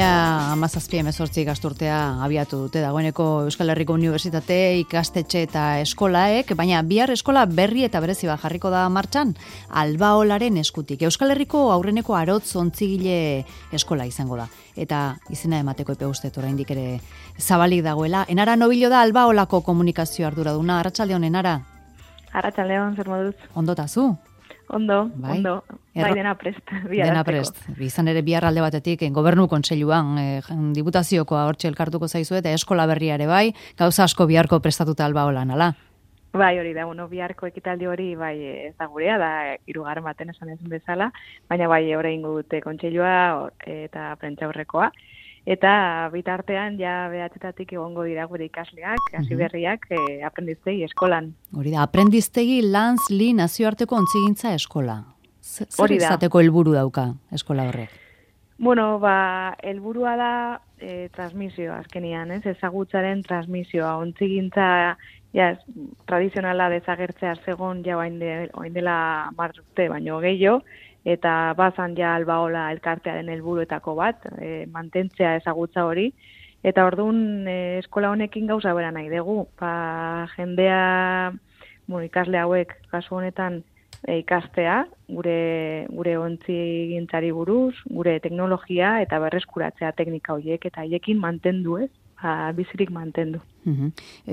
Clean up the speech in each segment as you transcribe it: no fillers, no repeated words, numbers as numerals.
2017 ikasturtea abiatu dute dagoeneko Euskal Herriko Unibertsitate ikastetxe eta eskolaek, baina bihar eskola berri eta berezi bat jarriko da martxan Albaolaren eskutik. Euskal Herriko aurreneko arotz ontzigile eskola izango da. Eta izena emateko epe usteet oraindik ere zabalik dagoela. Enara Nobillo da Albaolako komunikazio arduraduna. Arratsaldeon, Enara. Arratsaldeon, zer moduz? Ondotazu? Ondo. Bai, dena prest. Dena prest. Izan ere bihar alde batetik gobernu kontseiluan diputaziokoa hortxe elkartuko zaizu eta eskola berria ere bai, gauza asko biharko prestatuta Albaolan, ala? Bai, hori da, biharko ekitaldi hori bai ez da gurea, da 3. baten esan ezin bezala, baina bai orain dute kontseilua eta prentsaurrekoa. Eta bitartean ja behatzetatik egongo dira gure ikasleak, hasi berriak, aprendiztegi eskolan. Hori da, aprendiztegi Lanz-Li nazioarteko ontzigintza eskola. Zer izateko helburu dauka eskola horrek? Helburua da transmisioa azkenian, ezagutzaren transmisioa, ontzigintza tradizionala desagertzea zegon ja oain dela 10 urte baino gehiago, eta bazan ja Albaola elkartearen helburuetako bat, mantentzea ezagutza hori, eta orduan eskola honekin gauza bera nahi dugu. Jendea, ikasle hauek kasu honetan ikastea, gure ontzigintzari buruz, gure teknologia eta berreskuratzea teknika horiek, eta haiekin mantendu bizirik mantendu.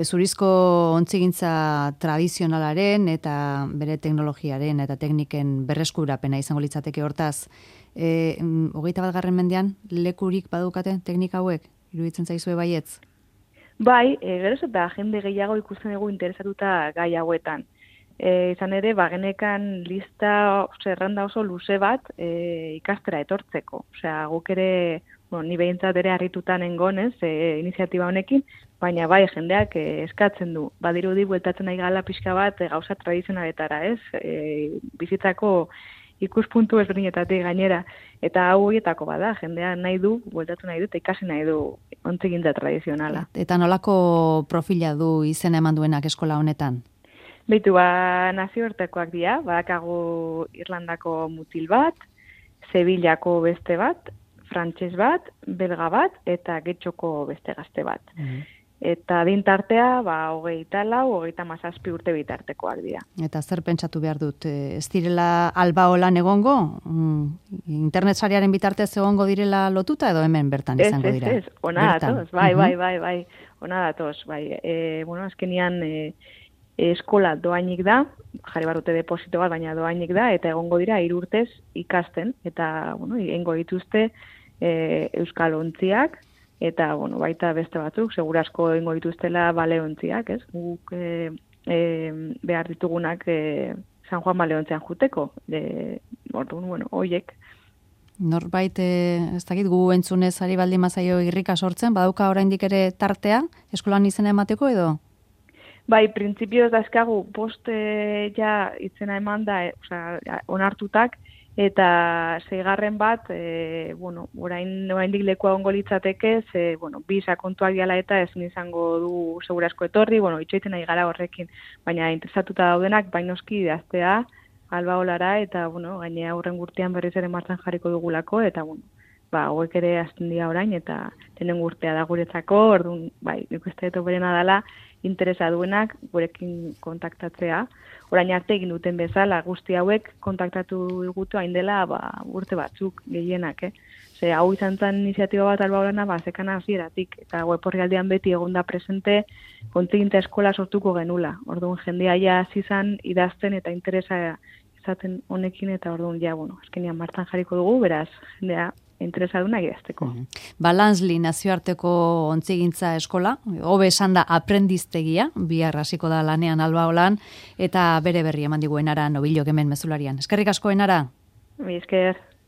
Zurizko ontzigintza tradizionalaren eta bere teknologiaren eta tekniken berreskurapena izango litzateke hortaz. 21. mendean lekurik badukate teknika hauek? Iruditzen zaizue baietz? Bai, geroz eta jende gehiago ikusten dugu interesatuta gai hauetan. Izan ere, genekan lista zerrenda oso luze bat ikastera etortzeko. Osea, guk ere ni behintzat ere harritutan nengonez iniziatiba honekin, baina bai jendeak eskatzen du. Badirudi bueltatzen nahi gala pixka bat gauza tradizionaletara, bizitzako ikuspuntu ezberdinetatik gainera. Eta hau horietako bada, jendea nahi du, bueltatu nahi du, eta ikasi nahi du ontzigintza tradizionala. Eta nolako profila du izena eman duenak eskola honetan? Beitu, nazioartekoak dira, badakagu Irlandako mutil bat, Sevillako beste bat, frantses bat, belga bat, eta Getxoko beste gazte bat. Eta dintartea, 27-27 urte bitartekoak dira. Eta zer pentsatu behar dut? Ez direla Albaolan egongo? Internet sariaren bitartez egongo direla lotuta edo hemen bertan izango dira? Ez, ona datoz, bai, ona datoz, bai. Azkenian eskola doainik da, jarri barrute deposito bat, baina doainik da, eta egongo dira 3 urtez ikasten, eta, egingo dituzte euskal ontziak, eta, baita beste batzuk, segurasko egingo dituztela baleontziak, ez? Guk behar ditugunak San Juan baleontzean juteko, hoiek. Norbait, ez dakit, gu entzunez ari baldin mazaio irrika sortzen, badauka oraindik ere tartea, eskolan izena emateko edo? Bai, printzipioz dazkagu post itzena eman da, onartutak, eta 6. bat, oraindik lekua ongo litzateke, bi sakontuak diala eta ezin izango du segurasko etorri, itxoiten nahi gara horrekin, baina interesatuta daudenak, bainoski idaztea, Albaolara, eta, gainea aurren urtean berriz ere martxan jarriko dugulako, eta, hauek ere azten dira orain, eta tenen urtea da guretzako, orduan, nik uste dut berena dela, interesa duenak gurekin kontaktatzea. Orain arte egin duten bezala, guzti hauek kontaktatu digutu hain dela urte batzuk gehienak. Hau izan zen iniziatiba bat Albaolana, zekana hasieratik, eta web orrialdean beti egonda presente ontzigintza eskola sortuko genula. Orduan jendea ja hasi izan idazten eta interesa izaten honekin, eta orduan azkenean martxan jarriko dugu, beraz jendea interesaduna idazteko. Lanz-Li nazioarteko ontzigintza eskola, hobe esan da aprendiztegia, bihar hasiko da lanean Albaolan, eta bere berri eman digu Enara Nobillo hemen mezularian. Eskerrik asko, Enara. Mi esker.